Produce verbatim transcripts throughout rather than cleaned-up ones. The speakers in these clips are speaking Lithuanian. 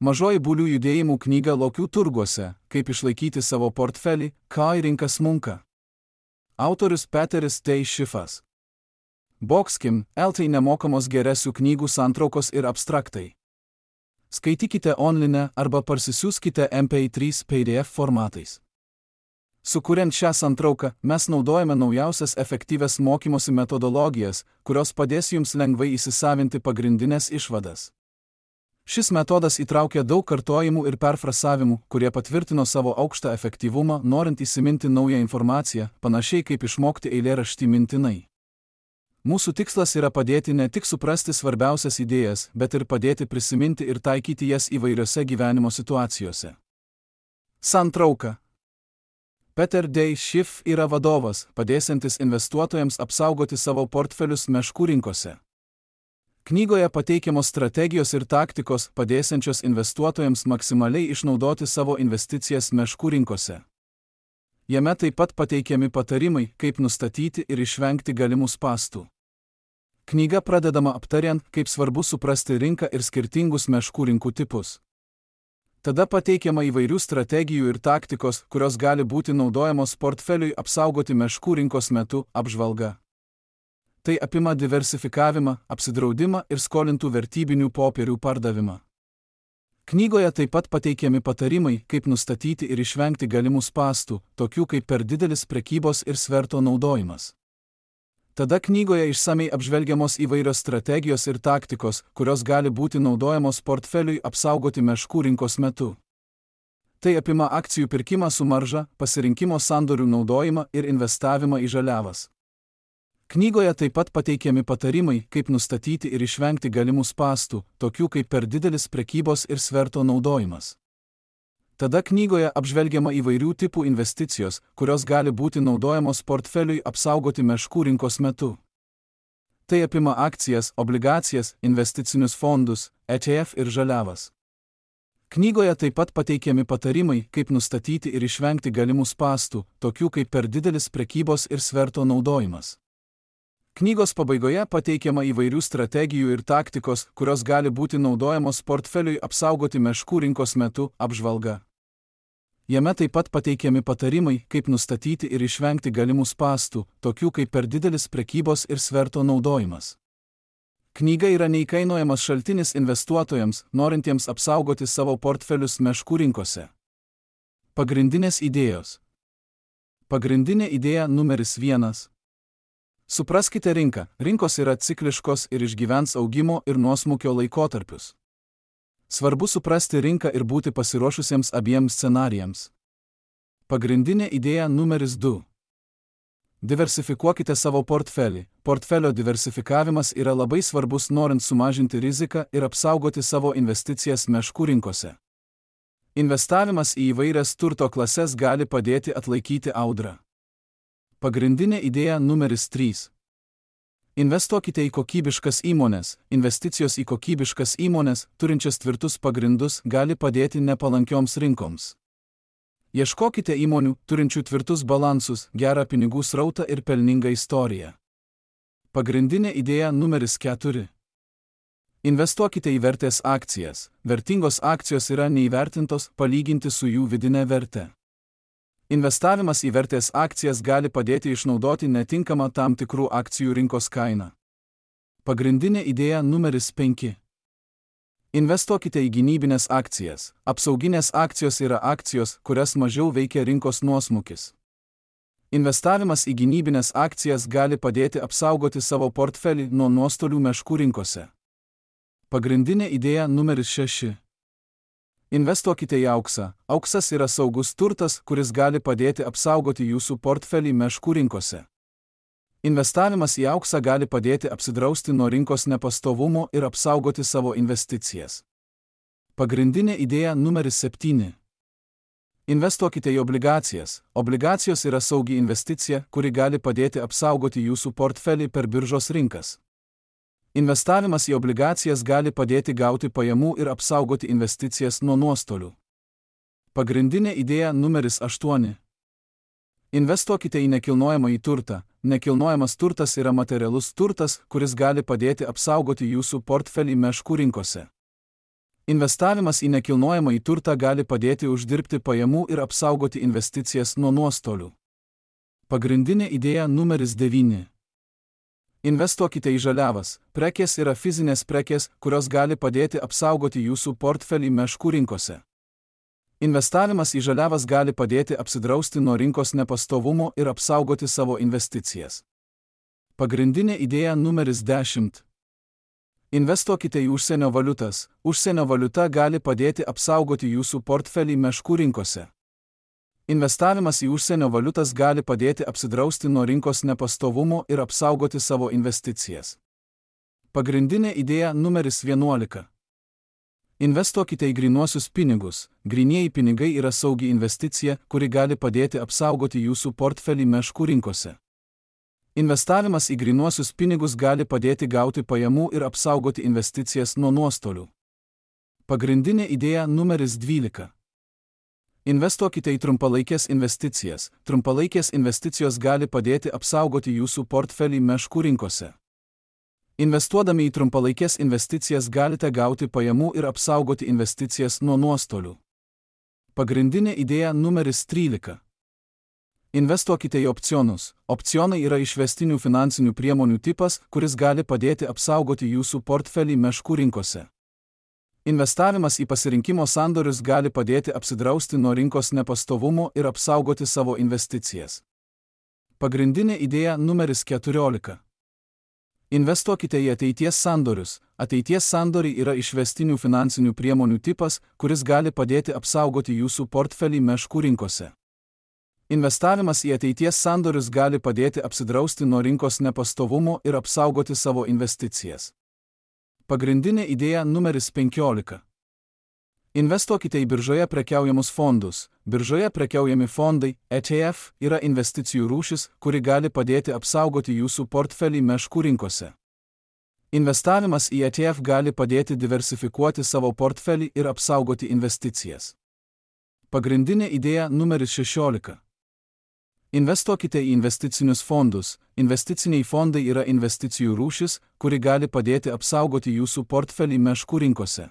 Mažoji bulių judėjimų knyga Lokių turguose, kaip išlaikyti savo portfelį, kai rinka smunka. Autorius Peteris T. Schiffas. Boxkim, L T nemokamos geresių knygų santraukos ir abstraktai. Skaitykite online arba parsisiųskite M P trys P D F formatais. Sukuriant šią santrauką, mes naudojame naujausias efektyvias mokymosi metodologijas, kurios padės jums lengvai įsisavinti pagrindinės išvadas. Šis metodas įtraukia daug kartojimų ir perfrasavimų, kurie patvirtino savo aukštą efektyvumą, norint įsiminti naują informaciją, panašiai kaip išmokti eilėraštį mintinai. Mūsų tikslas yra padėti ne tik suprasti svarbiausias idėjas, bet ir padėti prisiminti ir taikyti jas įvairiose gyvenimo situacijose. Santrauka. Peter D. Schiff yra vadovas, padėsiantis investuotojams apsaugoti savo portfelius meškų rinkose. Knygoje pateikiamos strategijos ir taktikos, padėsiančios investuotojams maksimaliai išnaudoti savo investicijas meškų rinkose. Jame taip pat pateikiami patarimai, kaip nustatyti ir išvengti galimų spąstų. Knyga pradedama aptariant, kaip svarbu suprasti rinką ir skirtingus meškų rinkų tipus. Tada pateikiama įvairių strategijų ir taktikos, kurios gali būti naudojamos portfeliui apsaugoti meškų rinkos metu, apžvalga. Tai apima diversifikavimą, apsidraudimą ir skolintų vertybinių popierių pardavimą. Knygoje taip pat pateikiami patarimai, kaip nustatyti ir išvengti galimų spąstų, tokių kaip per didelis prekybos ir sverto naudojimas. Tada knygoje išsamei apžvelgiamos įvairios strategijos ir taktikos, kurios gali būti naudojamos portfeliui apsaugoti meškų rinkos metu. Tai apima akcijų pirkimą su marža, pasirinkimo sandorių naudojimą ir investavimą į žaliavas. Knygoje taip pat pateikiami patarimai, kaip nustatyti ir išvengti galimų spąstų, tokių kaip per didelis prekybos ir sverto naudojimas. Tada knygoje apžvelgiama įvairių tipų investicijos, kurios gali būti naudojamos portfeliui apsaugoti meškų rinkos metu. Tai apima akcijas, obligacijas, investicinius fondus, E T F ir žaliavas. Knygoje taip pat pateikiami patarimai, kaip nustatyti ir išvengti galimų spąstų, tokių kaip per didelis prekybos ir sverto naudojimas. Knygos pabaigoje pateikiama įvairių strategijų ir taktikos, kurios gali būti naudojamos portfeliui apsaugoti meškų rinkos metu, apžvalga. Jame taip pat pateikiami patarimai, kaip nustatyti ir išvengti galimų spąstų, tokių kaip per didelis prekybos ir sverto naudojimas. Knyga yra neįkainojamas šaltinis investuotojams, norintiems apsaugoti savo portfelius meškų rinkose. Pagrindinės idėjos. Pagrindinė idėja numeris vienas. Supraskite rinką, rinkos yra cikliškos ir išgyvens augimo ir nuosmukio laikotarpius. Svarbu suprasti rinką ir būti pasiruošusiems abiems scenarijams. Pagrindinė idėja numeris du. Diversifikuokite savo portfelį. Portfelio diversifikavimas yra labai svarbus norint sumažinti riziką ir apsaugoti savo investicijas meškų rinkose. Investavimas į įvairias turto klases gali padėti atlaikyti audrą. Pagrindinė idėja numeris trys. Investuokite į kokybiškas įmones. Investicijos į kokybiškas įmones, turinčias tvirtus pagrindus, gali padėti nepalankioms rinkoms. Ieškokite įmonių, turinčių tvirtus balansus, gerą pinigų srautą ir pelningą istoriją. Pagrindinė idėja numeris keturi. Investuokite į vertės akcijas. Vertingos akcijos yra neįvertintos, palyginti su jų vidinė verte. Investavimas į vertės akcijas gali padėti išnaudoti netinkamą tam tikrų akcijų rinkos kainą. Pagrindinė idėja numeris penki. Investuokite į gynybinės akcijas. Apsauginės akcijos yra akcijos, kurias mažiau veikia rinkos nuosmukis. Investavimas į gynybinės akcijas gali padėti apsaugoti savo portfelį nuo nuostolių meškų rinkose. Pagrindinė idėja numeris šeši. Investuokite į auksą. Auksas yra saugus turtas, kuris gali padėti apsaugoti jūsų portfelį meškų rinkose. Investavimas į auksą gali padėti apsidrausti nuo rinkos nepastovumo ir apsaugoti savo investicijas. Pagrindinė idėja numeris septyni. Investuokite į obligacijas. Obligacijos yra saugi investicija, kuri gali padėti apsaugoti jūsų portfelį per biržos rinkas. Investavimas į obligacijas gali padėti gauti pajamų ir apsaugoti investicijas nuo nuostolių. Pagrindinė idėja numeris aštuoni. Investuokite į nekilnojamąjį turtą. Nekilnojamas turtas yra materialus turtas, kuris gali padėti apsaugoti jūsų portfelį meškų rinkose. Investavimas į nekilnojamą į turtą gali padėti uždirbti pajamų ir apsaugoti investicijas nuo nuostolių. Pagrindinė idėja numeris devyni. Investuokite į žaliavas. Prekės yra fizinės prekės, kurios gali padėti apsaugoti jūsų portfelį meškų rinkose. Investavimas į žaliavas gali padėti apsidrausti nuo rinkos nepastovumo ir apsaugoti savo investicijas. Pagrindinė idėja numeris dešimt. Investuokite į užsienio valiutas. Užsienio valiuta gali padėti apsaugoti jūsų portfelį meškų rinkose. Investavimas į užsienio valiutas gali padėti apsidrausti nuo rinkos nepastovumo ir apsaugoti savo investicijas. Pagrindinė idėja numeris vienuolika. Investuokite į grynuosius pinigus. Grynieji pinigai yra saugi investicija, kuri gali padėti apsaugoti jūsų portfelį meškų rinkose. Investavimas į grynuosius pinigus gali padėti gauti pajamų ir apsaugoti investicijas nuo nuostolių. Pagrindinė idėja numeris dvylika. Investuokite į trumpalaikės investicijas. Trumpalaikės investicijos gali padėti apsaugoti jūsų portfelį meškų rinkose. Investuodami į trumpalaikės investicijas galite gauti pajamų ir apsaugoti investicijas nuo nuostolių. Pagrindinė idėja numeris trylika. Investuokite į opcionus. Opcionai yra išvestinių finansinių priemonių tipas, kuris gali padėti apsaugoti jūsų portfelį meškų rinkose. Investavimas į pasirinkimo sandorius gali padėti apsidrausti nuo rinkos nepastovumo ir apsaugoti savo investicijas. Pagrindinė idėja numeris keturiolika. Investuokite į ateities sandorius. Ateities sandoriai yra išvestinių finansinių priemonių tipas, kuris gali padėti apsaugoti jūsų portfelį meškų rinkose. Investavimas į ateities sandorius gali padėti apsidrausti nuo rinkos nepastovumo ir apsaugoti savo investicijas. Pagrindinė idėja numeris penkiolika. Investuokite į biržoje prekiaujamus fondus. Biržoje prekiaujami fondai, E T F, yra investicijų rūšis, kuri gali padėti apsaugoti jūsų portfelį meškų rinkose. Investavimas į E T F gali padėti diversifikuoti savo portfelį ir apsaugoti investicijas. Pagrindinė idėja numeris šešiolika. Investuokite į investicinius fondus. Investiciniai fondai yra investicijų rūšis, kuri gali padėti apsaugoti jūsų portfelį meškų rinkose.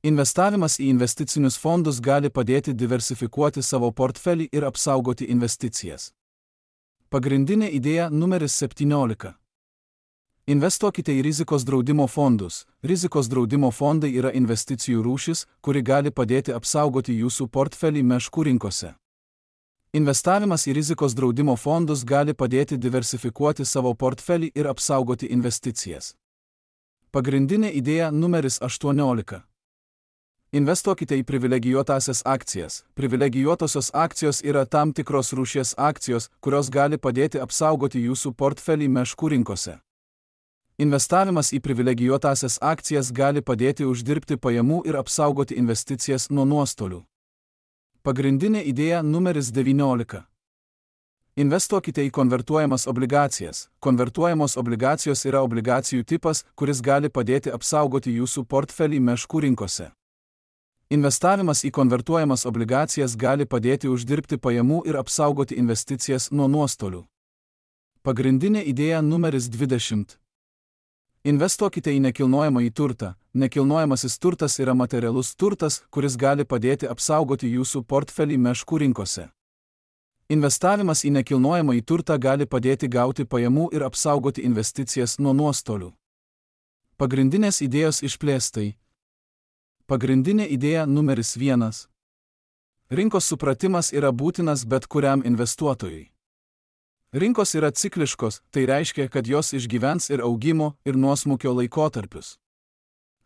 Investavimas į investicinius fondus gali padėti diversifikuoti savo portfelį ir apsaugoti investicijas. Pagrindinė idėja numeris septyniolika. Investuokite į rizikos draudimo fondus. Rizikos draudimo fondai yra investicijų rūšis, kuri gali padėti apsaugoti jūsų portfelį meškų rinkose. Investavimas į rizikos draudimo fondus gali padėti diversifikuoti savo portfelį ir apsaugoti investicijas. Pagrindinė idėja numeris aštuoniolika. Investuokite į privilegijuotasias akcijas. Privilegijuotosios akcijos yra tam tikros rūšies akcijos, kurios gali padėti apsaugoti jūsų portfelį meškų rinkose. Investavimas į privilegijuotasias akcijas gali padėti uždirbti pajamų ir apsaugoti investicijas nuo nuostolių. Pagrindinė idėja numeris devyniolika. Investuokite į konvertuojamas obligacijas. Konvertuojamos obligacijos yra obligacijų tipas, kuris gali padėti apsaugoti jūsų portfelį meškų rinkose. Investavimas į konvertuojamas obligacijas gali padėti uždirbti pajamų ir apsaugoti investicijas nuo nuostolių. Pagrindinė idėja numeris dvidešimt. Investuokite į nekilnojamą į turtą. Nekilnojamasis turtas yra materialus turtas, kuris gali padėti apsaugoti jūsų portfelį meškų rinkose. Investavimas į nekilnojamą į turtą gali padėti gauti pajamų ir apsaugoti investicijas nuo nuostolių. Pagrindinės idėjos išplėstai. Pagrindinė idėja numeris vienas. Rinkos supratimas yra būtinas bet kuriam investuotojui. Rinkos yra cikliškos, tai reiškia, kad jos išgyvens ir augimo, ir nuosmukio laikotarpius.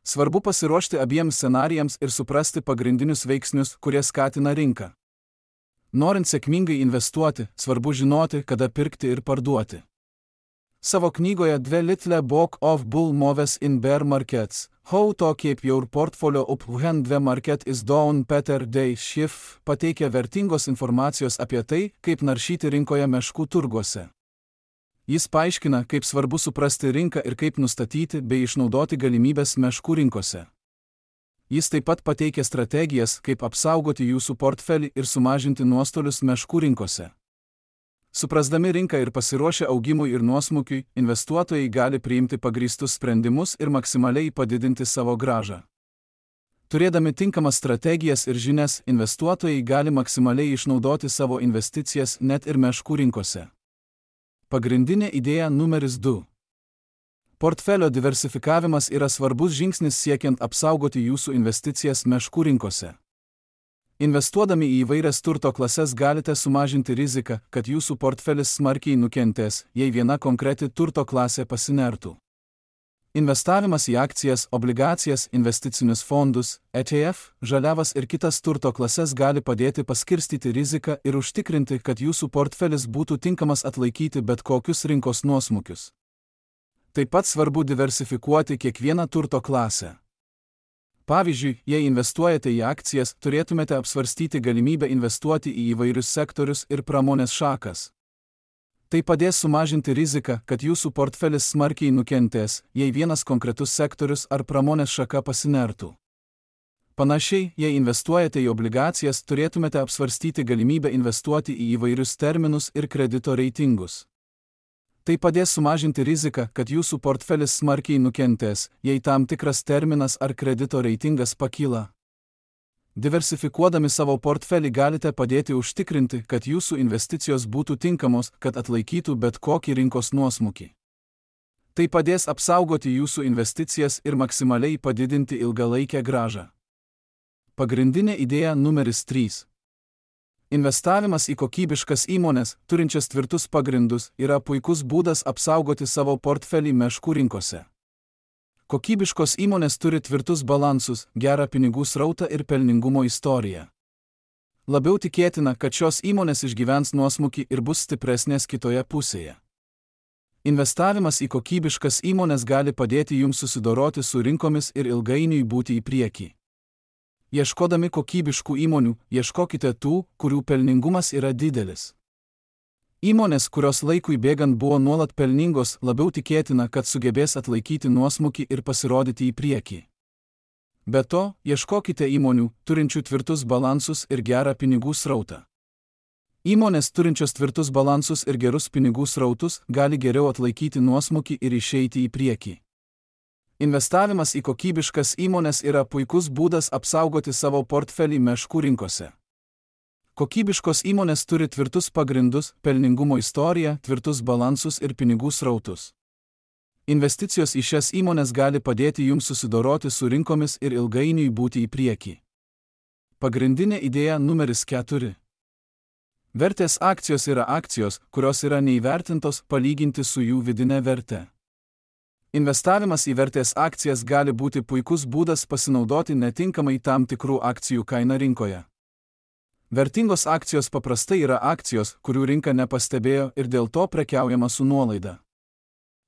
Svarbu pasiruošti abiems scenarijams ir suprasti pagrindinius veiksnius, kurie skatina rinką. Norint sėkmingai investuoti, svarbu žinoti, kada pirkti ir parduoti. Savo knygoje The Little Book of Bull Moves in Bear Markets, How to Keep Your Portfolio Up When the Market is Down, Peter D. Schiff pateikia vertingos informacijos apie tai, kaip naršyti rinkoje meškų turguose. Jis paaiškina, kaip svarbu suprasti rinką ir kaip nustatyti bei išnaudoti galimybės meškų rinkose. Jis taip pat pateikia strategijas, kaip apsaugoti jūsų portfelį ir sumažinti nuostolius meškų rinkose. Suprasdami rinką ir pasiruošę augimui ir nuosmukiui, investuotojai gali priimti pagrįstus sprendimus ir maksimaliai padidinti savo grąžą. Turėdami tinkamas strategijas ir žinias, investuotojai gali maksimaliai išnaudoti savo investicijas net ir meškų rinkose. Pagrindinė idėja numeris du. Portfelio diversifikavimas yra svarbus žingsnis siekiant apsaugoti jūsų investicijas meškų rinkose. Investuodami į įvairias turto klases galite sumažinti riziką, kad jūsų portfelis smarkiai nukentės, jei viena konkreti turto klasė pasinertų. Investavimas į akcijas, obligacijas, investicinius fondus, E T F, žaliavas ir kitas turto klases gali padėti paskirstyti riziką ir užtikrinti, kad jūsų portfelis būtų tinkamas atlaikyti bet kokius rinkos nuosmukius. Taip pat svarbu diversifikuoti kiekvieną turto klasę. Pavyzdžiui, jei investuojate į akcijas, turėtumėte apsvarstyti galimybę investuoti į įvairius sektorius ir pramonės šakas. Tai padės sumažinti riziką, kad jūsų portfelis smarkiai nukentės, jei vienas konkretus sektorius ar pramonės šaka pasinertų. Panašiai, jei investuojate į obligacijas, turėtumėte apsvarstyti galimybę investuoti į įvairius terminus ir kredito reitingus. Tai padės sumažinti riziką, kad jūsų portfelis smarkiai nukentės, jei tam tikras terminas ar kredito reitingas pakyla. Diversifikuodami savo portfelį galite padėti užtikrinti, kad jūsų investicijos būtų tinkamos, kad atlaikytų bet kokį rinkos nuosmukį. Tai padės apsaugoti jūsų investicijas ir maksimaliai padidinti ilgalaikę grąžą. Pagrindinė idėja numeris trys. Investavimas į kokybiškas įmones, turinčias tvirtus pagrindus, yra puikus būdas apsaugoti savo portfelį meškų rinkose. Kokybiškos įmonės turi tvirtus balansus, gerą pinigų srautą ir pelningumo istoriją. Labiau tikėtina, kad šios įmonės išgyvens nuosmukį ir bus stipresnės kitoje pusėje. Investavimas į kokybiškas įmonės gali padėti jums susidoroti su rinkomis ir ilgainiui būti į priekį. Ieškodami kokybiškų įmonių, ieškokite tų, kurių pelningumas yra didelis. Įmonės, kurios laikui bėgant buvo nuolat pelningos, labiau tikėtina, kad sugebės atlaikyti nuosmukį ir pasirodyti į priekį. Be to, ieškokite įmonių, turinčių tvirtus balansus ir gerą pinigų srautą. Įmonės turinčios tvirtus balansus ir gerus pinigų srautus gali geriau atlaikyti nuosmukį ir išeiti į priekį. Investavimas į kokybiškas įmonės yra puikus būdas apsaugoti savo portfelį meškų rinkose. Kokybiškos įmonės turi tvirtus pagrindus, pelningumo istoriją, tvirtus balansus ir pinigų srautus. Investicijos į šias įmonės gali padėti jums susidoroti su rinkomis ir ilgainiui būti į priekį. Pagrindinė idėja numeris keturi. Vertės akcijos yra akcijos, kurios yra neįvertintos palyginti su jų vidine verte. Investavimas į vertės akcijas gali būti puikus būdas pasinaudoti netinkamai tam tikrų akcijų kainą rinkoje. Vertingos akcijos paprastai yra akcijos, kurių rinka nepastebėjo ir dėl to prekiaujama su nuolaida.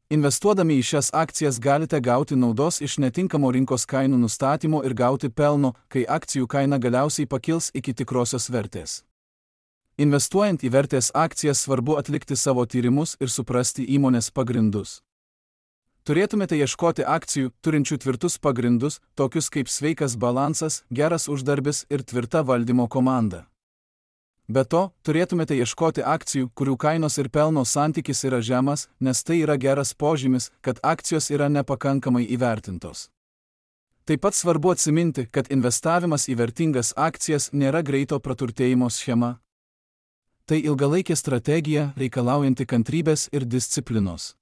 Investuodami į šias akcijas galite gauti naudos iš netinkamo rinkos kainų nustatymo ir gauti pelno, kai akcijų kaina galiausiai pakils iki tikrosios vertės. Investuojant į vertės akcijas svarbu atlikti savo tyrimus ir suprasti įmonės pagrindus. Turėtumėte ieškoti akcijų, turinčių tvirtus pagrindus, tokius kaip sveikas balansas, geras uždarbis ir tvirta valdymo komanda. Be to, turėtumėte ieškoti akcijų, kurių kainos ir pelno santykis yra žemas, nes tai yra geras požymis, kad akcijos yra nepakankamai įvertintos. Taip pat svarbu atsiminti, kad investavimas į vertingas akcijas nėra greito praturtėjimo schema. Tai ilgalaikė strategija, reikalaujanti kantrybės ir disciplinos.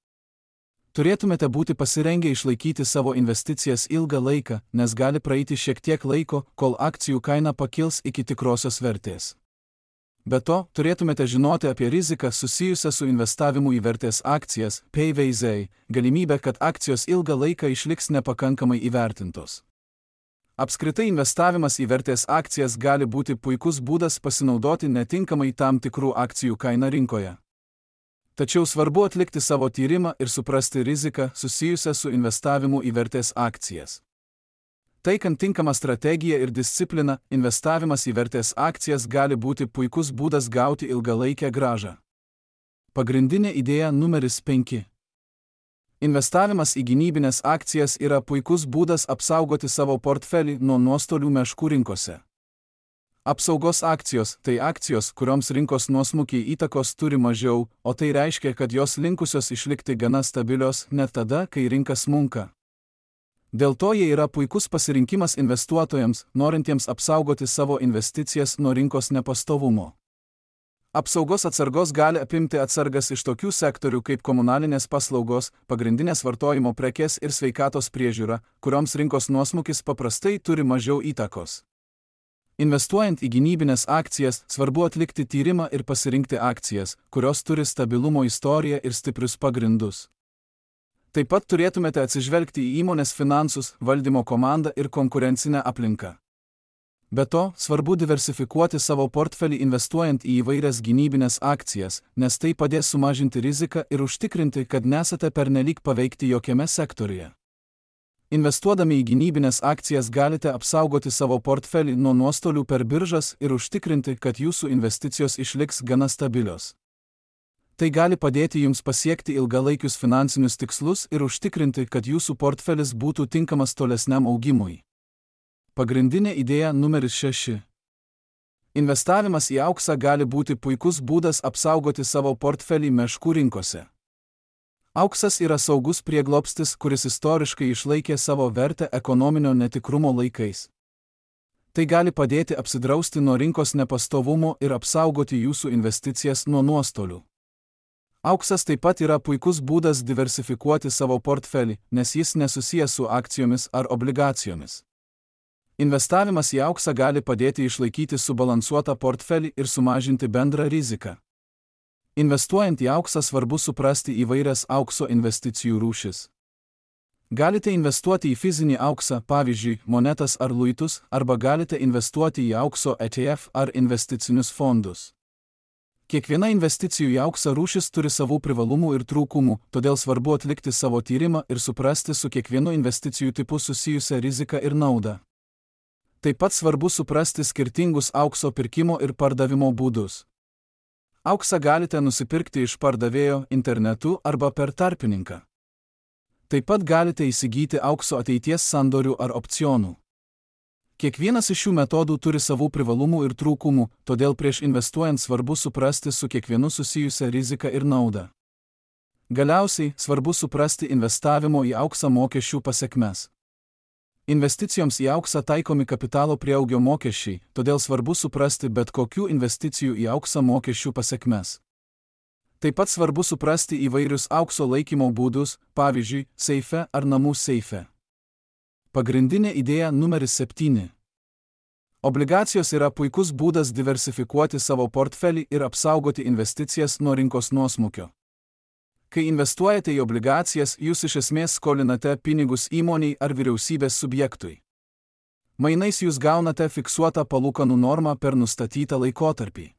Turėtumėte būti pasirengę išlaikyti savo investicijas ilgą laiką, nes gali praeiti šiek tiek laiko, kol akcijų kaina pakils iki tikrosios vertės. Be to, turėtumėte žinoti apie riziką susijusią su investavimu į vertės akcijas, P V Z, galimybę, kad akcijos ilgą laiką išliks nepakankamai įvertintos. Apskritai investavimas į vertės akcijas gali būti puikus būdas pasinaudoti netinkamai tam tikrų akcijų kainą rinkoje. Tačiau svarbu atlikti savo tyrimą ir suprasti riziką susijusią su investavimu į vertės akcijas. Taikant tinkamą strategiją ir discipliną, investavimas į vertės akcijas gali būti puikus būdas gauti ilgalaikę grąžą. Pagrindinė idėja numeris penki. Investavimas į gynybinės akcijas yra puikus būdas apsaugoti savo portfelį nuo nuostolių meškų rinkose. Apsaugos akcijos – tai akcijos, kurioms rinkos nuosmukiai įtakos turi mažiau, o tai reiškia, kad jos linkusios išlikti gana stabilios net tada, kai rinka smunka. Dėl to jie yra puikus pasirinkimas investuotojams, norintiems apsaugoti savo investicijas nuo rinkos nepastovumo. Apsaugos atsargos gali apimti atsargas iš tokių sektorių kaip komunalinės paslaugos, pagrindinės vartojimo prekės ir sveikatos priežiūra, kurioms rinkos nuosmukis paprastai turi mažiau įtakos. Investuojant į gynybines akcijas, svarbu atlikti tyrimą ir pasirinkti akcijas, kurios turi stabilumo istoriją ir stiprius pagrindus. Taip pat turėtumėte atsižvelgti į įmonės finansus, valdymo komandą ir konkurencinę aplinką. Be to, svarbu diversifikuoti savo portfelį investuojant į įvairias gynybines akcijas, nes tai padės sumažinti riziką ir užtikrinti, kad nesate pernelyg paveikti jokiame sektoriuje. Investuodami į gynybines akcijas galite apsaugoti savo portfelį nuo nuostolių per biržas ir užtikrinti, kad jūsų investicijos išliks gana stabilios. Tai gali padėti jums pasiekti ilgalaikius finansinius tikslus ir užtikrinti, kad jūsų portfelis būtų tinkamas tolesniam augimui. Pagrindinė idėja numeris šeši. Investavimas į auksą gali būti puikus būdas apsaugoti savo portfelį meškų rinkose. Auksas yra saugus prieglobstis, kuris istoriškai išlaikė savo vertę ekonominio netikrumo laikais. Tai gali padėti apsidrausti nuo rinkos nepastovumo ir apsaugoti jūsų investicijas nuo nuostolių. Auksas taip pat yra puikus būdas diversifikuoti savo portfelį, nes jis nesusijęs su akcijomis ar obligacijomis. Investavimas į auksą gali padėti išlaikyti subalansuotą portfelį ir sumažinti bendrą riziką. Investuojant į auksą svarbu suprasti įvairias aukso investicijų rūšis. Galite investuoti į fizinį auksą, pavyzdžiui, monetas ar luitus, arba galite investuoti į aukso E T F ar investicinius fondus. Kiekviena investicijų į auksą rūšis turi savų privalumų ir trūkumų, todėl svarbu atlikti savo tyrimą ir suprasti su kiekvienu investicijų tipu susijusią riziką ir naudą. Taip pat svarbu suprasti skirtingus aukso pirkimo ir pardavimo būdus. Auksą galite nusipirkti iš pardavėjo internetu arba per tarpininką. Taip pat galite įsigyti aukso ateities sandorių ar opcionų. Kiekvienas iš šių metodų turi savų privalumų ir trūkumų, todėl prieš investuojant svarbu suprasti su kiekvienu susijusią riziką ir naudą. Galiausiai, svarbu suprasti investavimo į auksą mokesčių pasekmes. Investicijoms į auksą taikomi kapitalo prieaugio mokesčiai, todėl svarbu suprasti bet kokių investicijų į auksą mokesčių pasekmes. Taip pat svarbu suprasti įvairius aukso laikymo būdus, pavyzdžiui, seife ar namų seife. Pagrindinė idėja numeris septyni. Obligacijos yra puikus būdas diversifikuoti savo portfelį ir apsaugoti investicijas nuo rinkos nuosmukio. Kai investuojate į obligacijas, jūs iš esmės skolinate pinigus įmoniai ar vyriausybės subjektui. Mainais jūs gaunate fiksuotą palūkanų normą per nustatytą laikotarpį.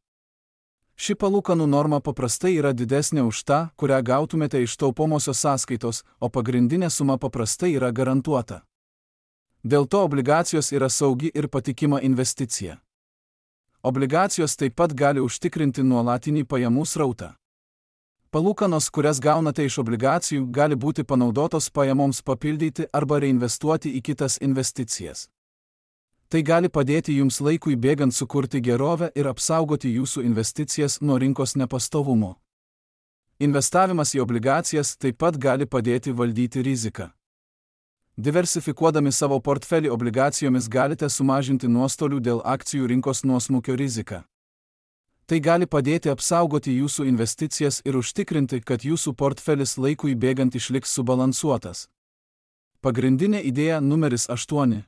Ši palūkanų norma paprastai yra didesnė už tą, kurią gautumėte iš taupomosios sąskaitos, o pagrindinė suma paprastai yra garantuota. Dėl to obligacijos yra saugi ir patikima investicija. Obligacijos taip pat gali užtikrinti nuolatinį pajamų srautą. Palūkanos, kurias gaunate iš obligacijų, gali būti panaudotos pajamoms papildyti arba reinvestuoti į kitas investicijas. Tai gali padėti jums laikui bėgant sukurti gerovę ir apsaugoti jūsų investicijas nuo rinkos nepastovumo. Investavimas į obligacijas taip pat gali padėti valdyti riziką. Diversifikuodami savo portfelį obligacijomis galite sumažinti nuostolių dėl akcijų rinkos nuosmukio riziką. Tai gali padėti apsaugoti jūsų investicijas ir užtikrinti, kad jūsų portfelis laikui bėgant išliks subalansuotas. Pagrindinė idėja numeris aštuoni.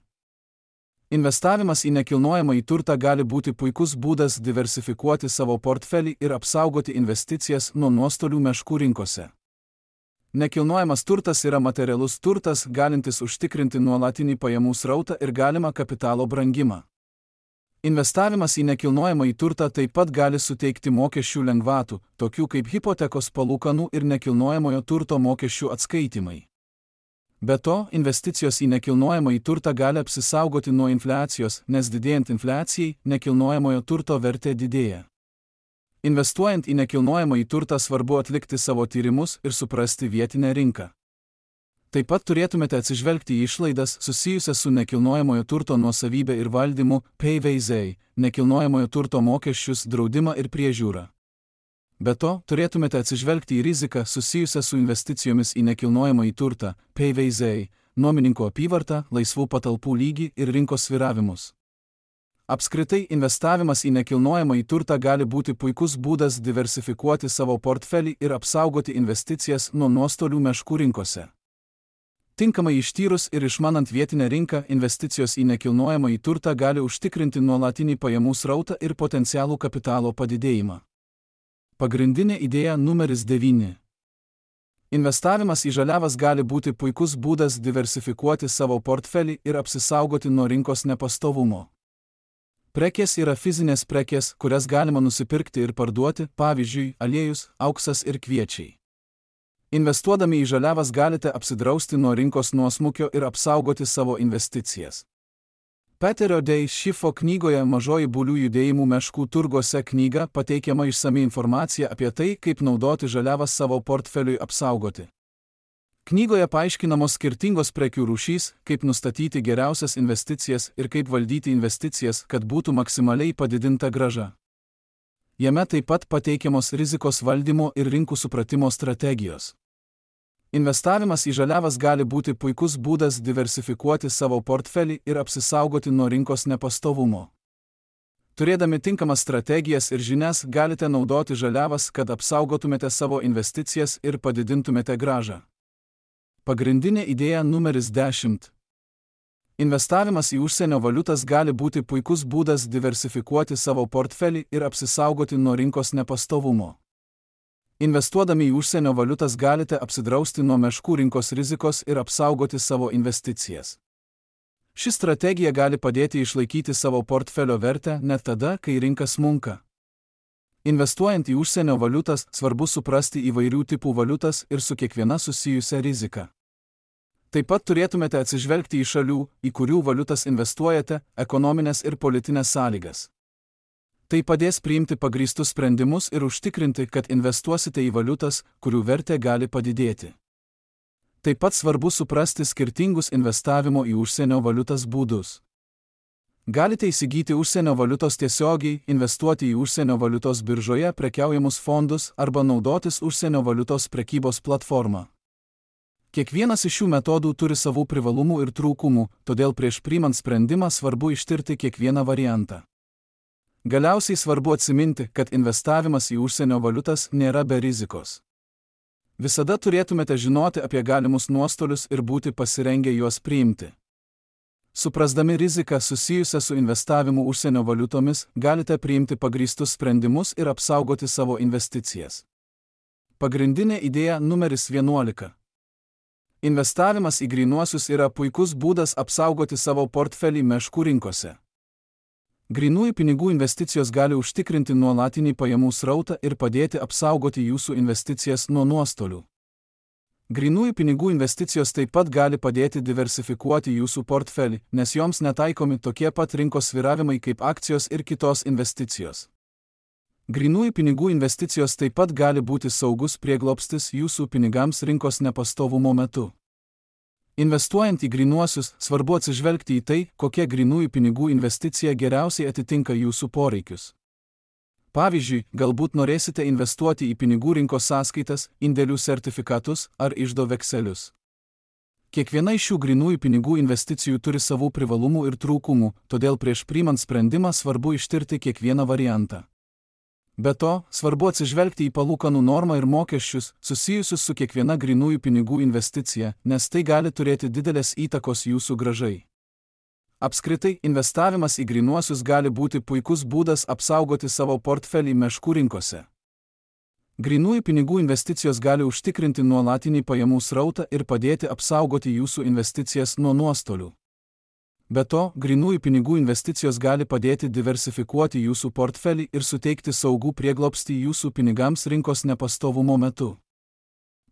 Investavimas į nekilnojamą į turtą gali būti puikus būdas diversifikuoti savo portfelį ir apsaugoti investicijas nuo nuostolių meškų rinkose. Nekilnojamas turtas yra materialus turtas, galintis užtikrinti nuolatinį pajamų srautą ir galimą kapitalo brangimą. Investavimas į nekilnojamą į turtą taip pat gali suteikti mokesčių lengvatų, tokių kaip hipotekos palūkanų ir nekilnojamojo turto mokesčių atskaitimai. Be to, investicijos į nekilnojamą į turtą gali apsisaugoti nuo infliacijos, nes didėjant infliacijai, nekilnojamojo turto vertė didėja. Investuojant į nekilnojamą į turtą svarbu atlikti savo tyrimus ir suprasti vietinę rinką. Taip pat turėtumėte atsižvelgti į išlaidas susijusias su nekilnojamojo turto nuosavybė ir valdymu, P V Z, nekilnojamojo turto mokesčius, draudimą ir priežiūrą. Be to, turėtumėte atsižvelgti į riziką susijusią su investicijomis į nekilnojamą į turtą, P V Z, nuomininkų apyvartą, laisvų patalpų lygį ir rinkos sviravimus. Apskritai, investavimas į nekilnojamąjį turtą gali būti puikus būdas diversifikuoti savo portfelį ir apsaugoti investicijas nuo nuostolių meškų rinkose. Tinkamai ištyrus ir išmanant vietinę rinką, investicijos į nekilnojamąjį turtą gali užtikrinti nuolatinį pajamų srautą ir potencialų kapitalo padidėjimą. Pagrindinė idėja numeris devyni. Investavimas į žaliavas gali būti puikus būdas diversifikuoti savo portfelį ir apsisaugoti nuo rinkos nepastovumo. Prekės yra fizinės prekės, kurias galima nusipirkti ir parduoti, pavyzdžiui, aliejus, auksas ir kviečiai. Investuodami į žaliavas galite apsidrausti nuo rinkos nuosmukio ir apsaugoti savo investicijas. Peterio Dei Schiffo knygoje Mažoji bulių judėjimų meškų turguose knyga pateikiama išsami informacija apie tai, kaip naudoti žaliavas savo portfeliui apsaugoti. Knygoje paaiškinamos skirtingos prekių rūšys, kaip nustatyti geriausias investicijas ir kaip valdyti investicijas, kad būtų maksimaliai padidinta grąža. Jame taip pat pateikiamos rizikos valdymo ir rinkų supratimo strategijos. Investavimas į žaliavas gali būti puikus būdas diversifikuoti savo portfelį ir apsisaugoti nuo rinkos nepastovumo. Turėdami tinkamas strategijas ir žinias, galite naudoti žaliavas, kad apsaugotumėte savo investicijas ir padidintumėte grąžą. Pagrindinė idėja numeris dešimt. Investavimas į užsienio valiutas gali būti puikus būdas diversifikuoti savo portfelį ir apsisaugoti nuo rinkos nepastovumo. Investuodami į užsienio valiutas galite apsidrausti nuo meškų rinkos rizikos ir apsaugoti savo investicijas. Ši strategija gali padėti išlaikyti savo portfelio vertę net tada, kai rinka smunka. Investuojant į užsienio valiutas, svarbu suprasti įvairių tipų valiutas ir su kiekviena susijusią riziką. Taip pat turėtumėte atsižvelgti į šalių, į kurių valiutas investuojate, ekonominės ir politinės sąlygas. Tai padės priimti pagrįstus sprendimus ir užtikrinti, kad investuosite į valiutas, kurių vertė gali padidėti. Taip pat svarbu suprasti skirtingus investavimo į užsienio valiutas būdus. Galite įsigyti užsienio valiutos tiesiogiai, investuoti į užsienio valiutos biržoje prekiaujamus fondus arba naudotis užsienio valiutos prekybos platformą. Kiekvienas iš šių metodų turi savų privalumų ir trūkumų, todėl prieš priimant sprendimą svarbu ištirti kiekvieną variantą. Galiausiai svarbu atsiminti, kad investavimas į užsienio valiutas nėra be rizikos. Visada turėtumėte žinoti apie galimus nuostolius ir būti pasirengę juos priimti. Suprasdami riziką susijusią su investavimu užsienio valiutomis, galite priimti pagrįstus sprendimus ir apsaugoti savo investicijas. Pagrindinė idėja numeris vienuolika. Investavimas į grynuosius yra puikus būdas apsaugoti savo portfelį meškų rinkose. Grynųjų pinigų investicijos gali užtikrinti nuolatinį pajamų srautą ir padėti apsaugoti jūsų investicijas nuo nuostolių. Grynųjų pinigų investicijos taip pat gali padėti diversifikuoti jūsų portfelį, nes joms netaikomi tokie pat rinkos svyravimai kaip akcijos ir kitos investicijos. Grynųjų pinigų investicijos taip pat gali būti saugus prieglobstis jūsų pinigams rinkos nepastovumo metu. Investuojant į grynuosius, svarbu atsižvelgti į tai, kokia grynųjų pinigų investicija geriausiai atitinka jūsų poreikius. Pavyzdžiui, galbūt norėsite investuoti į pinigų rinkos sąskaitas, indėlių sertifikatus ar iždo vekselius. Kiekviena iš šių grynųjų pinigų investicijų turi savų privalumų ir trūkumų, todėl prieš priimant sprendimą svarbu ištirti kiekvieną variantą. Be to, svarbu atsižvelgti į palūkanų normą ir mokesčius, susijusius su kiekviena grynųjų pinigų investicija, nes tai gali turėti didelės įtakos jūsų grąžai. Apskritai, investavimas į grynuosius gali būti puikus būdas apsaugoti savo portfelį meškų rinkose. Grynųjų pinigų investicijos gali užtikrinti nuolatinį pajamų srautą ir padėti apsaugoti jūsų investicijas nuo nuostolių. Be to, grynųjų pinigų investicijos gali padėti diversifikuoti jūsų portfelį ir suteikti saugų prieglobstį jūsų pinigams rinkos nepastovumo metu.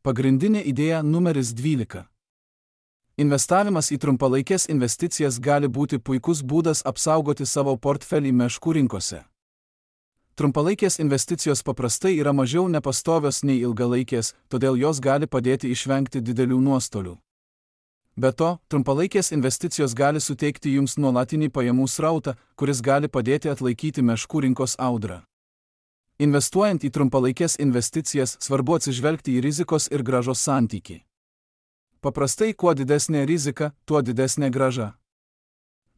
Pagrindinė idėja numeris dvylika. Investavimas į trumpalaikės investicijas gali būti puikus būdas apsaugoti savo portfelį meškų rinkose. Trumpalaikės investicijos paprastai yra mažiau nepastovios nei ilgalaikės, todėl jos gali padėti išvengti didelių nuostolių. Be to, trumpalaikės investicijos gali suteikti jums nuolatinį pajamų srautą, kuris gali padėti atlaikyti meškų rinkos audrą. Investuojant į trumpalaikės investicijas, svarbu atsižvelgti į rizikos ir grąžos santykį. Paprastai, kuo didesnė rizika, tuo didesnė grąža.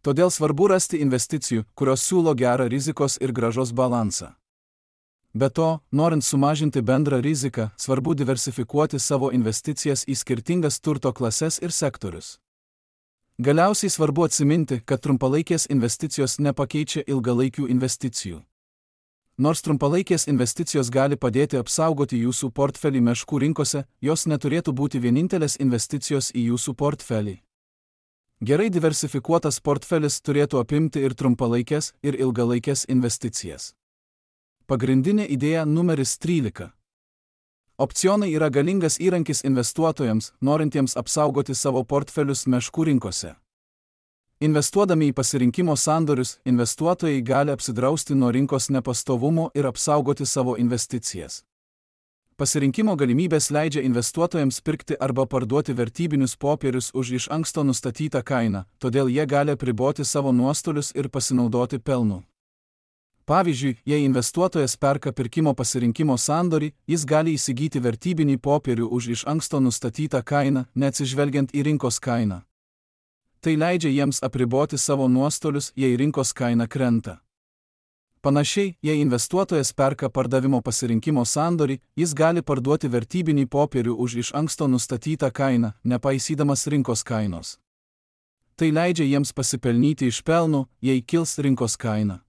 Todėl svarbu rasti investicijų, kurios siūlo gerą rizikos ir grąžos balansą. Be to, norint sumažinti bendrą riziką, svarbu diversifikuoti savo investicijas į skirtingas turto klases ir sektorius. Galiausiai svarbu atsiminti, kad trumpalaikės investicijos nepakeičia ilgalaikių investicijų. Nors trumpalaikės investicijos gali padėti apsaugoti jūsų portfelį meškų rinkose, jos neturėtų būti vienintelės investicijos į jūsų portfelį. Gerai diversifikuotas portfelis turėtų apimti ir trumpalaikės, ir ilgalaikės investicijas. Pagrindinė idėja numeris trylika. Opcionai yra galingas įrankis investuotojams, norintiems apsaugoti savo portfelius meškų rinkose. Investuodami į pasirinkimo sandorius, investuotojai gali apsidrausti nuo rinkos nepastovumo ir apsaugoti savo investicijas. Pasirinkimo galimybės leidžia investuotojams pirkti arba parduoti vertybinius popierius už iš anksto nustatytą kainą, todėl jie gali apriboti savo nuostolius ir pasinaudoti pelnu. Pavyzdžiui, jei investuotojas perka pirkimo pasirinkimo sandorį, jis gali įsigyti vertybinį popierių už iš anksto nustatytą kainą, neatsižvelgiant į rinkos kainą. Tai leidžia jiems apriboti savo nuostolius, jei rinkos kaina krenta. Panašiai, jei investuotojas perka pardavimo pasirinkimo sandorį, jis gali parduoti vertybinį popierių už iš anksto nustatytą kainą, nepaisydamas rinkos kainos. Tai leidžia jiems pasipelnyti iš pelno, jei kils rinkos kaina.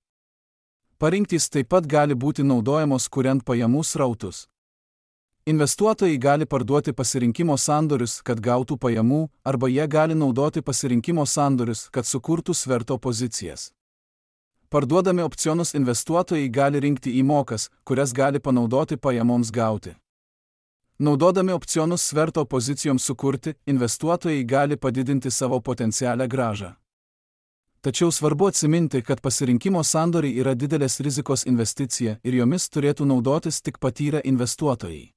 Parinktys taip pat gali būti naudojamos kuriant pajamų srautus. Investuotojai gali parduoti pasirinkimo sandorius, kad gautų pajamų, arba jie gali naudoti pasirinkimo sandorius, kad sukurtų sverto pozicijas. Parduodami opcionus investuotojai gali rinkti įmokas, kurias gali panaudoti pajamoms gauti. Naudodami opcionus sverto pozicijoms sukurti, investuotojai gali padidinti savo potencialią grąžą. Tačiau svarbu atsiminti, kad pasirinkimo sandoriai yra didelės rizikos investicija ir jomis turėtų naudotis tik patyrę investuotojai.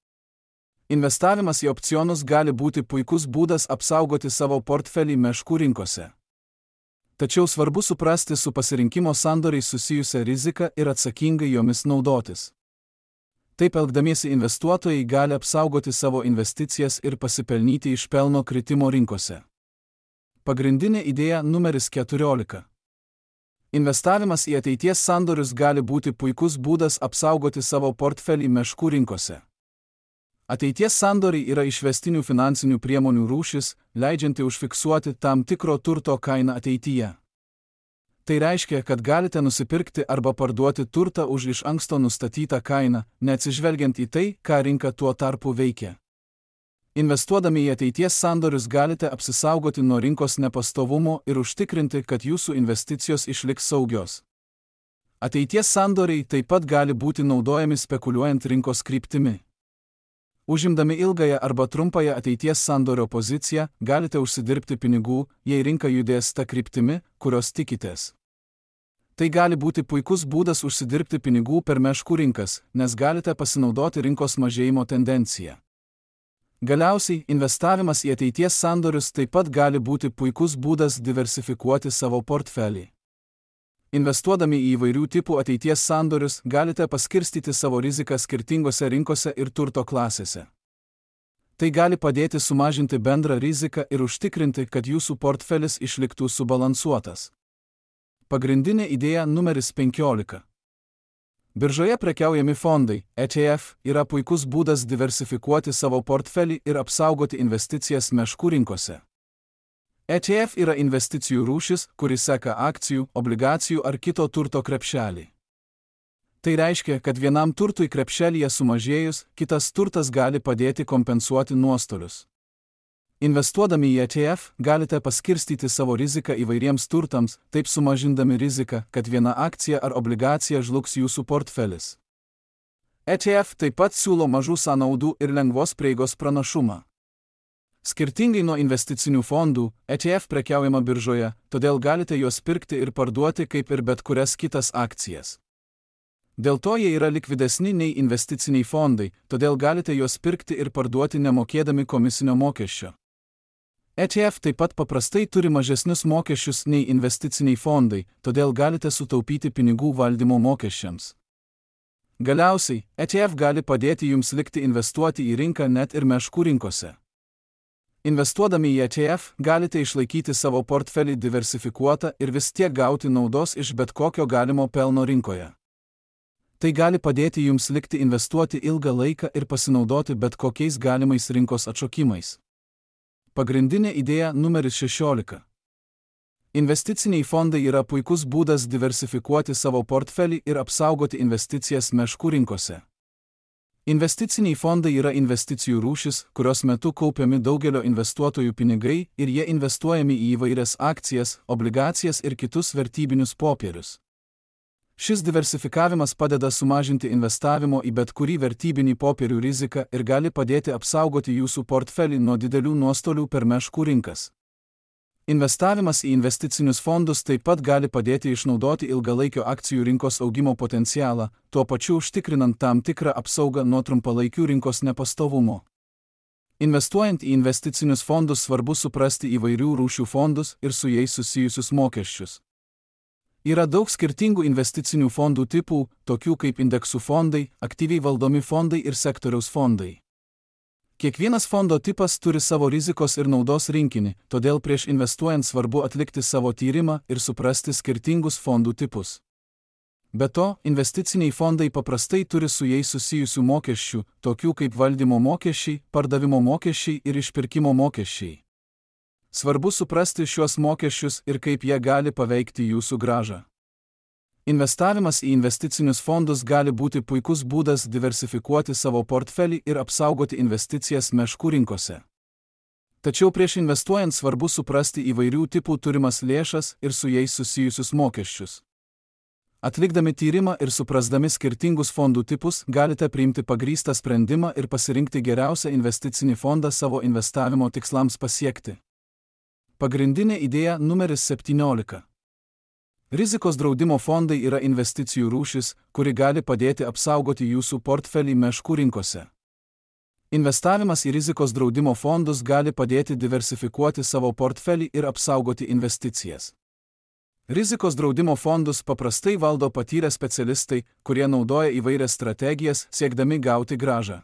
Investavimas į opcionus gali būti puikus būdas apsaugoti savo portfelį meškų rinkose. Tačiau svarbu suprasti su pasirinkimo sandoriais susijusią riziką ir atsakingai jomis naudotis. Taip elgdamiesi investuotojai gali apsaugoti savo investicijas ir pasipelnyti iš pelno kritimo rinkose. Pagrindinė idėja numeris keturiolika. Investavimas į ateities sandorius gali būti puikus būdas apsaugoti savo portfelį meškų rinkose. Ateities sandoriai yra išvestinių finansinių priemonių rūšis, leidžianti užfiksuoti tam tikro turto kainą ateityje. Tai reiškia, kad galite nusipirkti arba parduoti turtą už iš anksto nustatytą kainą, neatsižvelgiant į tai, ką rinka tuo tarpu veikia. Investuodami į ateities sandorius galite apsisaugoti nuo rinkos nepastovumo ir užtikrinti, kad jūsų investicijos išliks saugios. Ateities sandoriai taip pat gali būti naudojami spekuliuojant rinkos kryptimi. Užimdami ilgąją arba trumpąją ateities sandorio poziciją, galite užsidirbti pinigų, jei rinka judės ta kryptimi, kurios tikitės. Tai gali būti puikus būdas užsidirbti pinigų per meškų rinkas, nes galite pasinaudoti rinkos mažėjimo tendenciją. Galiausiai, investavimas į ateities sandorius taip pat gali būti puikus būdas diversifikuoti savo portfelį. Investuodami į įvairių tipų ateities sandorius, galite paskirstyti savo riziką skirtingose rinkose ir turto klasėse. Tai gali padėti sumažinti bendrą riziką ir užtikrinti, kad jūsų portfelis išliktų subalansuotas. Pagrindinė idėja numeris penkiolika. Biržoje prekiaujami fondai, E T F, yra puikus būdas diversifikuoti savo portfelį ir apsaugoti investicijas meškų rinkose. E T F yra investicijų rūšis, kuri seka akcijų, obligacijų ar kito turto krepšelį. Tai reiškia, kad vienam turtui krepšelyje sumažėjus, kitas turtas gali padėti kompensuoti nuostolius. Investuodami į E T F, galite paskirstyti savo riziką įvairiems turtams, taip sumažindami riziką, kad viena akcija ar obligacija žlugs jūsų portfelis. E T F taip pat siūlo mažų sąnaudų ir lengvos prieigos pranašumą. Skirtingai nuo investicinių fondų, E T F prekiaujama biržoje, todėl galite juos pirkti ir parduoti kaip ir bet kurias kitas akcijas. Dėl to jie yra likvidesni nei investiciniai fondai, todėl galite juos pirkti ir parduoti nemokėdami komisinio mokesčio. E T F taip pat paprastai turi mažesnius mokesčius nei investiciniai fondai, todėl galite sutaupyti pinigų valdymo mokesčiams. Galiausiai, E T F gali padėti jums likti investuoti į rinką net ir meškų rinkose. Investuodami į E T F galite išlaikyti savo portfelį diversifikuotą ir vis tiek gauti naudos iš bet kokio galimo pelno rinkoje. Tai gali padėti jums likti investuoti ilgą laiką ir pasinaudoti bet kokiais galimais rinkos atšokimais. Pagrindinė idėja numeris šešiolika. Investiciniai fondai yra puikus būdas diversifikuoti savo portfelį ir apsaugoti investicijas meškų rinkose. Investiciniai fondai yra investicijų rūšis, kurios metu kaupiami daugelio investuotojų pinigai ir jie investuojami į įvairias akcijas, obligacijas ir kitus vertybinius popierius. Šis diversifikavimas padeda sumažinti investavimo į bet kurį vertybinį popierių riziką ir gali padėti apsaugoti jūsų portfelį nuo didelių nuostolių per meškų rinkas. Investavimas į investicinius fondus taip pat gali padėti išnaudoti ilgalaikio akcijų rinkos augimo potencialą, tuo pačiu užtikrinant tam tikrą apsaugą nuo trumpalaikių rinkos nepastovumo. Investuojant į investicinius fondus svarbu suprasti įvairių rūšių fondus ir su jais susijusius mokesčius. Yra daug skirtingų investicinių fondų tipų, tokių kaip indeksų fondai, aktyviai valdomi fondai ir sektoriaus fondai. Kiekvienas fondo tipas turi savo rizikos ir naudos rinkinį, todėl prieš investuojant svarbu atlikti savo tyrimą ir suprasti skirtingus fondų tipus. Be to, investiciniai fondai paprastai turi su jais susijusių mokesčių, tokių kaip valdymo mokesčiai, pardavimo mokesčiai ir išpirkimo mokesčiai. Svarbu suprasti šiuos mokesčius ir kaip jie gali paveikti jūsų grąžą. Investavimas į investicinius fondus gali būti puikus būdas diversifikuoti savo portfelį ir apsaugoti investicijas meškų rinkose. Tačiau prieš investuojant svarbu suprasti įvairių tipų turimas lėšas ir su jais susijusius mokesčius. Atlikdami tyrimą ir suprasdami skirtingus fondų tipus, galite priimti pagrįstą sprendimą ir pasirinkti geriausią investicinį fondą savo investavimo tikslams pasiekti. Pagrindinė idėja numeris septyniolika. Rizikos draudimo fondai yra investicijų rūšis, kuri gali padėti apsaugoti jūsų portfelį meškų rinkose. Investavimas į rizikos draudimo fondus gali padėti diversifikuoti savo portfelį ir apsaugoti investicijas. Rizikos draudimo fondus paprastai valdo patyrę specialistai, kurie naudoja įvairias strategijas, siekdami gauti grąžą.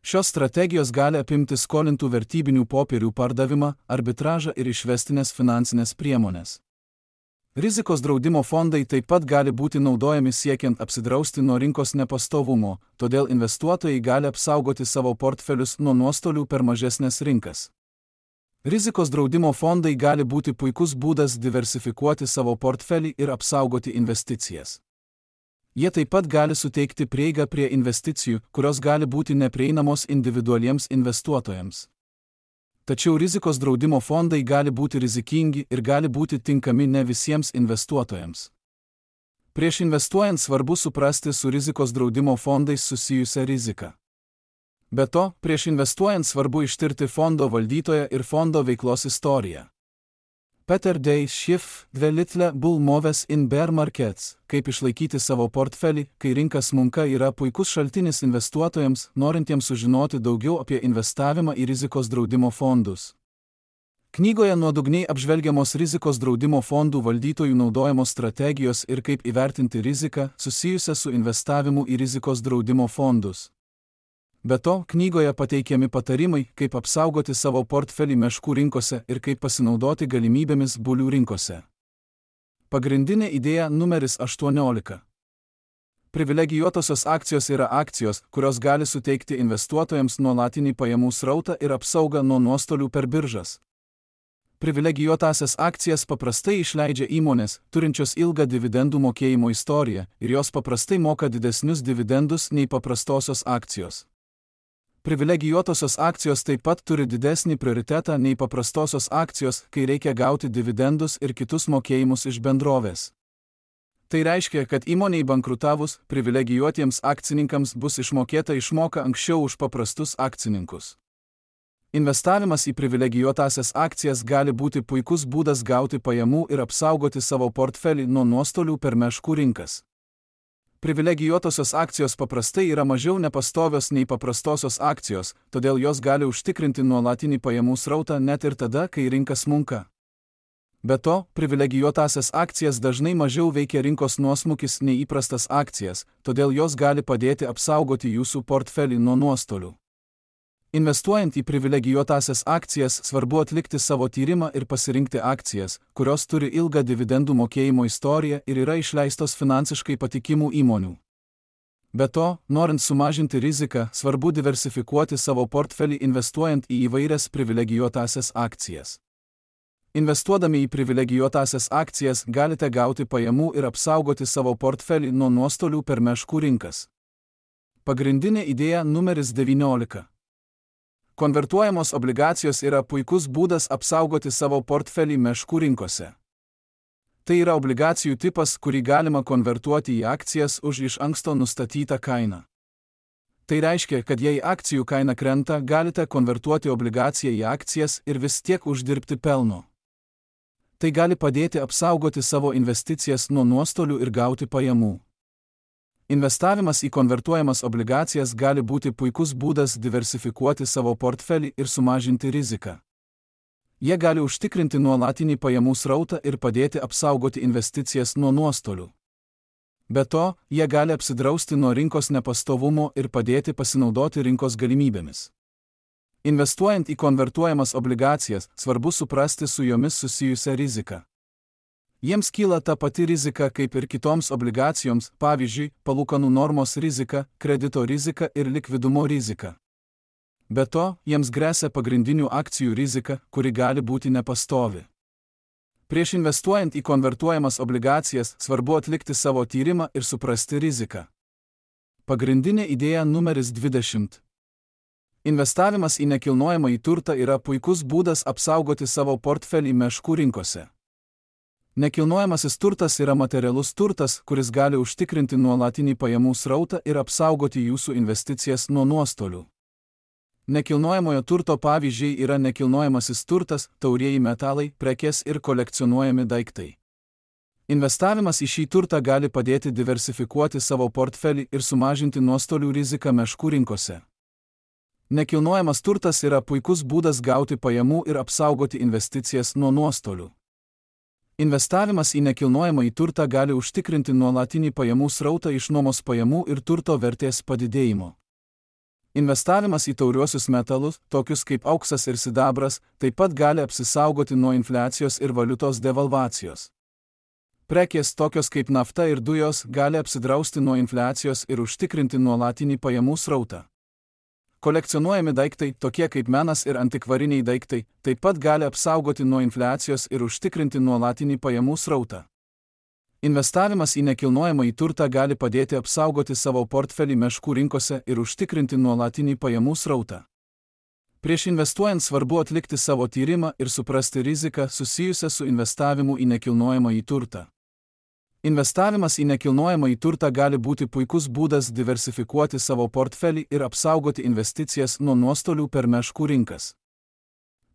Šios strategijos gali apimti skolintų vertybinių popierių pardavimą, arbitražą ir išvestinės finansinės priemonės. Rizikos draudimo fondai taip pat gali būti naudojami siekiant apsidrausti nuo rinkos nepastovumo, todėl investuotojai gali apsaugoti savo portfelius nuo nuostolių per mažesnės rinkas. Rizikos draudimo fondai gali būti puikus būdas diversifikuoti savo portfelį ir apsaugoti investicijas. Jie taip pat gali suteikti prieigą prie investicijų, kurios gali būti neprieinamos individualiems investuotojams. Tačiau rizikos draudimo fondai gali būti rizikingi ir gali būti tinkami ne visiems investuotojams. Prieš investuojant svarbu suprasti su rizikos draudimo fondais susijusią riziką. Be to, prieš investuojant svarbu ištirti fondo valdytoją ir fondo veiklos istoriją. Peter Day Schiff, The Little Bull Moves in Bear Markets, kaip išlaikyti savo portfelį, kai rinka smunka, yra puikus šaltinis investuotojams, norintiems sužinoti daugiau apie investavimą į rizikos draudimo fondus. Knygoje nuodugniai apžvelgiamos rizikos draudimo fondų valdytojų naudojamos strategijos ir kaip įvertinti riziką susijusią su investavimu į rizikos draudimo fondus. Be to, knygoje pateikiami patarimai, kaip apsaugoti savo portfelį meškų rinkose ir kaip pasinaudoti galimybėmis bulių rinkose. Pagrindinė idėja numeris aštuoniolika. Privilegijuotosios akcijos yra akcijos, kurios gali suteikti investuotojams nuolatinį pajamų srautą ir apsaugą nuo nuostolių per biržas. Privilegijuotasias akcijas paprastai išleidžia įmonės, turinčios ilgą dividendų mokėjimo istoriją, ir jos paprastai moka didesnius dividendus nei paprastosios akcijos. Privilegijuotosios akcijos taip pat turi didesnį prioritetą nei paprastosios akcijos, kai reikia gauti dividendus ir kitus mokėjimus iš bendrovės. Tai reiškia, kad įmonei bankrutavus, privilegijuotiems akcininkams bus išmokėta išmoka anksčiau už paprastus akcininkus. Investavimas į privilegijuotasias akcijas gali būti puikus būdas gauti pajamų ir apsaugoti savo portfelį nuo nuostolių per meškų rinkas. Privilegijuotosios akcijos paprastai yra mažiau nepastovios nei paprastosios akcijos, todėl jos gali užtikrinti nuolatinį pajamų srautą net ir tada, kai rinka smunka. Be to, privilegijuotasias akcijas dažnai mažiau veikia rinkos nuosmukis nei įprastas akcijas, todėl jos gali padėti apsaugoti jūsų portfelį nuo nuostolių. Investuojant į privilegijuotąsias akcijas, svarbu atlikti savo tyrimą ir pasirinkti akcijas, kurios turi ilgą dividendų mokėjimo istoriją ir yra išleistos finansiškai patikimų įmonių. Be to, norint sumažinti riziką, svarbu diversifikuoti savo portfelį investuojant į įvairias privilegijuotąsias akcijas. Investuodami į privilegijuotąsias akcijas galite gauti pajamų ir apsaugoti savo portfelį nuo nuostolių per meškų rinkas. Pagrindinė idėja numeris devyniolika. Konvertuojamos obligacijos yra puikus būdas apsaugoti savo portfelį meškų rinkose. Tai yra obligacijų tipas, kurį galima konvertuoti į akcijas už iš anksto nustatytą kainą. Tai reiškia, kad jei akcijų kaina krenta, galite konvertuoti obligaciją į akcijas ir vis tiek uždirbti pelno. Tai gali padėti apsaugoti savo investicijas nuo nuostolių ir gauti pajamų. Investavimas į konvertuojamas obligacijas gali būti puikus būdas diversifikuoti savo portfelį ir sumažinti riziką. Jie gali užtikrinti nuolatinį pajamų srautą ir padėti apsaugoti investicijas nuo nuostolių. Be to, jie gali apsidrausti nuo rinkos nepastovumo ir padėti pasinaudoti rinkos galimybėmis. Investuojant į konvertuojamas obligacijas, svarbu suprasti su jomis susijusią riziką. Jiems kyla ta pati rizika kaip ir kitoms obligacijoms, pavyzdžiui, palūkanų normos rizika, kredito rizika ir likvidumo rizika. Be to, jiems gresia pagrindinių akcijų rizika, kuri gali būti nepastovi. Prieš investuojant į konvertuojamas obligacijas, svarbu atlikti savo tyrimą ir suprasti riziką. Pagrindinė idėja numeris dvidešimt. Investavimas į nekilnojamąjį turtą yra puikus būdas apsaugoti savo portfelį meškų rinkose. Nekilnojamasis turtas yra materialus turtas, kuris gali užtikrinti nuolatinį pajamų srautą ir apsaugoti jūsų investicijas nuo nuostolių. Nekilnojamojo turto pavyzdžiai yra nekilnojamasis turtas, taurieji metalai, prekės ir kolekcionuojami daiktai. Investavimas į šį turtą gali padėti diversifikuoti savo portfelį ir sumažinti nuostolių riziką meškų rinkose. Nekilnojamas turtas yra puikus būdas gauti pajamų ir apsaugoti investicijas nuo nuostolių. Investavimas į nekilnojamąjį turtą gali užtikrinti nuolatinį pajamų srautą iš nuomos pajamų ir turto vertės padidėjimo. Investavimas į tauriuosius metalus, tokius kaip auksas ir sidabras, taip pat gali apsisaugoti nuo infliacijos ir valiutos devalvacijos. Prekės tokios kaip nafta ir dujos gali apsidrausti nuo infliacijos ir užtikrinti nuolatinį pajamų srautą. Kolekcionuojami daiktai, tokie kaip menas ir antikvariniai daiktai, taip pat gali apsaugoti nuo infliacijos ir užtikrinti nuolatinį pajamų srautą. Investavimas į nekilnojamąjį turtą gali padėti apsaugoti savo portfelį meškų rinkose ir užtikrinti nuolatinį pajamų srautą. Prieš investuojant svarbu atlikti savo tyrimą ir suprasti riziką susijusią su investavimu į nekilnojamąjį turtą. Investavimas į nekilnojamąjį turtą gali būti puikus būdas diversifikuoti savo portfelį ir apsaugoti investicijas nuo nuostolių per meškų rinkas.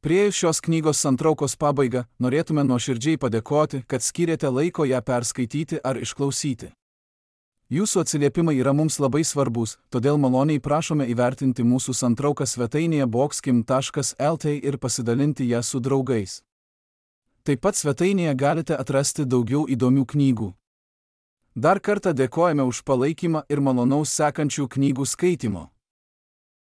Priėjus šios knygos santraukos pabaigą, norėtume nuoširdžiai padėkoti, kad skyrėte laiko ją perskaityti ar išklausyti. Jūsų atsiliepimai yra mums labai svarbus, todėl maloniai prašome įvertinti mūsų santrauką svetainėje boxkim taškas lt ir pasidalinti ją su draugais. Taip pat svetainėje galite atrasti daugiau įdomių knygų. Dar kartą dėkojame už palaikymą ir malonaus sekančių knygų skaitymo.